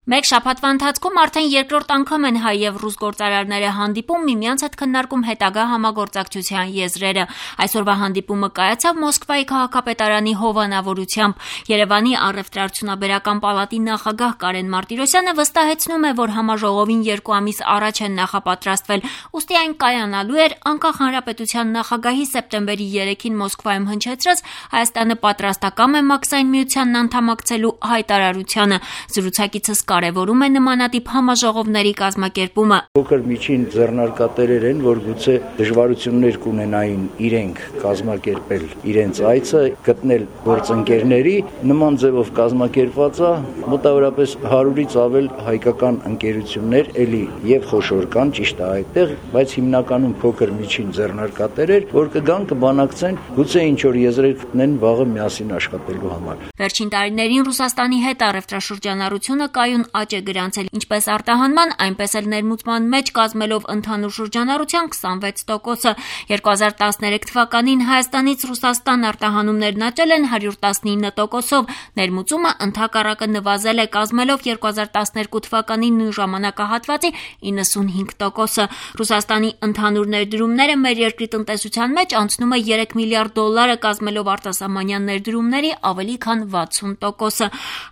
Մեկ շաբաթվա ընթացքում արդեն երկրորդ անգամ են հայ եւ ռուս գործարարները հանդիպում, միմյանց հետ քննարկում հետագա համագործակցության եզրերը։ Այսօրվա հանդիպումը կայացավ Մոսկվայի քաղաքապետարանի հովանավորությամբ։ Երևանի առևտրաարդյունաբերական պալատի նախագահ Կարեն Մարտիրոսյանը վստահեցնում է, որ համաժողովին 2 ամիս առաջ են նախապատրաստվել, ուստի այն կայանալու էր անկախ հանրապետության նախագահի սեպտեմբերի 3-ին Մոսկվայում հնչեցրած Հայաստանը պատրաստակամ է Մաքսային միությանն անդամակցելու հայտարարությանը։ Զրուցակիցս կարևորում է նմանատիպ համաժողովների կազմակերպումը։ Փոքր միջին ձեռնարկատերեր են, որ գուցե դժվարություններ կունենային իրենք կազմակերպել իրենց այցը, գտնել գործընկերների, նման ձևով կազմակերպված է մոտավորապես 100-ից ավել հայկական ընկերություններ, էլի եւ խոշոր կան, ճիշտ է այդտեղ, բայց հիմնականում փոքր միջին ձեռնարկատերեր, որ կգան կբանակցեն, գուցե ինչ որ եզրեր գտնեն վաղը միասին աշխատելու համար։ Վերջին տարիներին Ռուսաստանի հետ առևտրաշրջանառությունը կայուն աճ է գրանցել, ինչպես արտահանման, այնպես էլ ներմուծման մեջ կազմելով ընդհանուր շրջանառության 26%-ը։ 2013 թվականին Հայաստանից Ռուսաստան արտահանումներն աճել են 119%-ով, ներմուծումը ընդհակառակը նվազել է, կազմելով 2012 թվականի նույն ժամանակահատվածի 95%-ը։ Ռուսաստանի ընդհանուր ներդրումները մեր երկրի տնտեսության մեջ անցնում է $3 միլիարդ, կազմելով արտասահմանյան ներդրումների ավելի քան 60%-ը։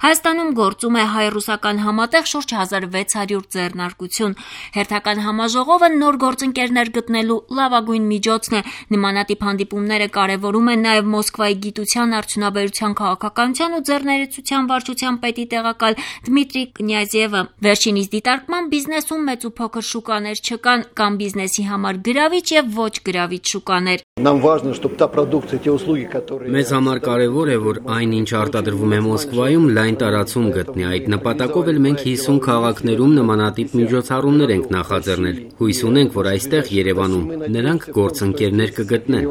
Հայաստանում գործում է հայ-ռուսական համատեղ շուրջ 1600 ձեռնարկություն։ Հերթական համաժողովը նոր գործընկերներ գտնելու լավագույն միջոցն է։ Նմանատիպ հանդիպումները կարևորում են նաև Մոսկվայի գիտության, արդյունաբերության, քաղաքականության ու ձեռներեցության վարչության պետի տեղակալ Դմիտրի Կնյազյևը։ Վերջինիս դիտարկման բիզնեսում մեծ ու փոքր շուկաներ չկան, կամ բիզնեսի համար գրավիչ եւ ոչ գրավիչ շուկաներ։ Մեզ համար կարևոր է, որ այն, ինչ արտադրվում է Մոսկվայում, լայն տարածում գտնի։ Այդ նպատակով էլ մենք 50 քաղաքներում նմանատիպ միջոցառումներ ենք նախաձեռնել։ Հույս ունենք, որ այստեղ Երևանում նրանք գործընկերներ կգտնեն։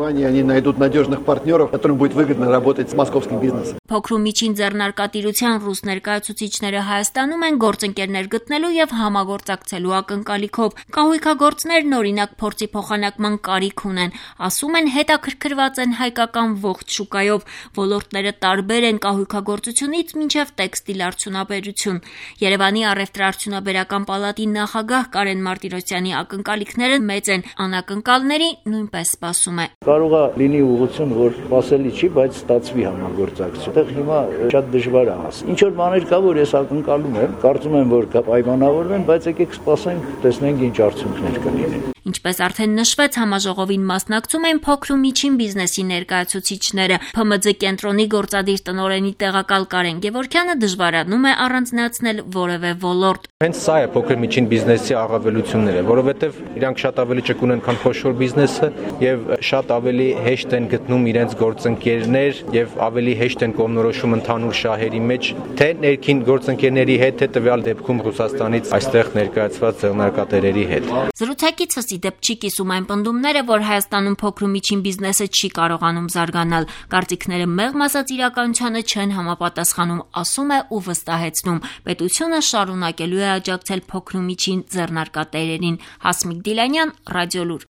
Փոքր ու միջին ձեռնարկատիրության ռուս ներկայացուցիչները Հայաստանում են գործընկերներ գտնելու եւ համագործակցելու ակնկալիքով։ Կահույքագործներն օրինակ փորձի փոխանակման կարիք ունեն, ասում են հետաքրքրված են հայկական ողջ շուկայով։ Ոլորտները տարբեր են կահույքագործությունից մինչև տեքստիլ արդյունաբերություն։ Երևանի առևտրաարդյունաբերական պալատի նախագահ Կարեն Մարտիրոսյանի ակնկալիքները մեծ են, անակնկալների նույնպես սպասում է։ Կարող է լինի ուղղություն, որ սпасելի չի, բայց ստացվի համագործակցություն։ Այդտեղ հիմա շատ դժվար է հաս։ Ինչ որ բաներ կա, որ ես ակնկալում եմ, կարծում եմ, որ կպայմանավորվեն, բայց եկեք սպասենք, տեսնենք ինչ արդյունքներ կլինեն։ Ինչպես արդեն նշվեց, համաժողովին մասնակցում են փոքր ու միջին բիզնեսի ներկայացուցիչները։ ՓՄՁ կենտրոնի գործադիր տնօրենի տեղակալ Կարեն Գևորգյանը դժվարանում է առանձնացնել որևէ ոլորտ։ Հենց սա է փոքր միջին բիզնեսի առավելությունները, որովհետև իրանք շատ ավելի ճկուն են, քան խոշոր բիզնեսը եւ շատ ավելի հեշտ են գտնում իրենց գործընկերներ եւ ավելի հեշտ են կողմնորոշում ընդհանուր շահերի մեջ, թե ներքին գործընկերների հետ, թե տվյալ դեպքում Ռուսաստանից այստեղ ներկայացված ձեռնարկատերերի հետ։ Զրուցակիցս ի դեպ չի կիսում այն պնդումները, որ Հայաստանում փոքր ու միջին բիզնեսը չի կարողանում զարգանալ։ Կարծիքները մեղմ ասած իրականությանը չեն համապատասխանում, ասում է ու վստահեցնում։ Պետությունը շարունակելու է աջակցել փոքր ու միջին ձեռնարկատերերին։ Հասմիկ Դիլանյան, Ռադիոլուր։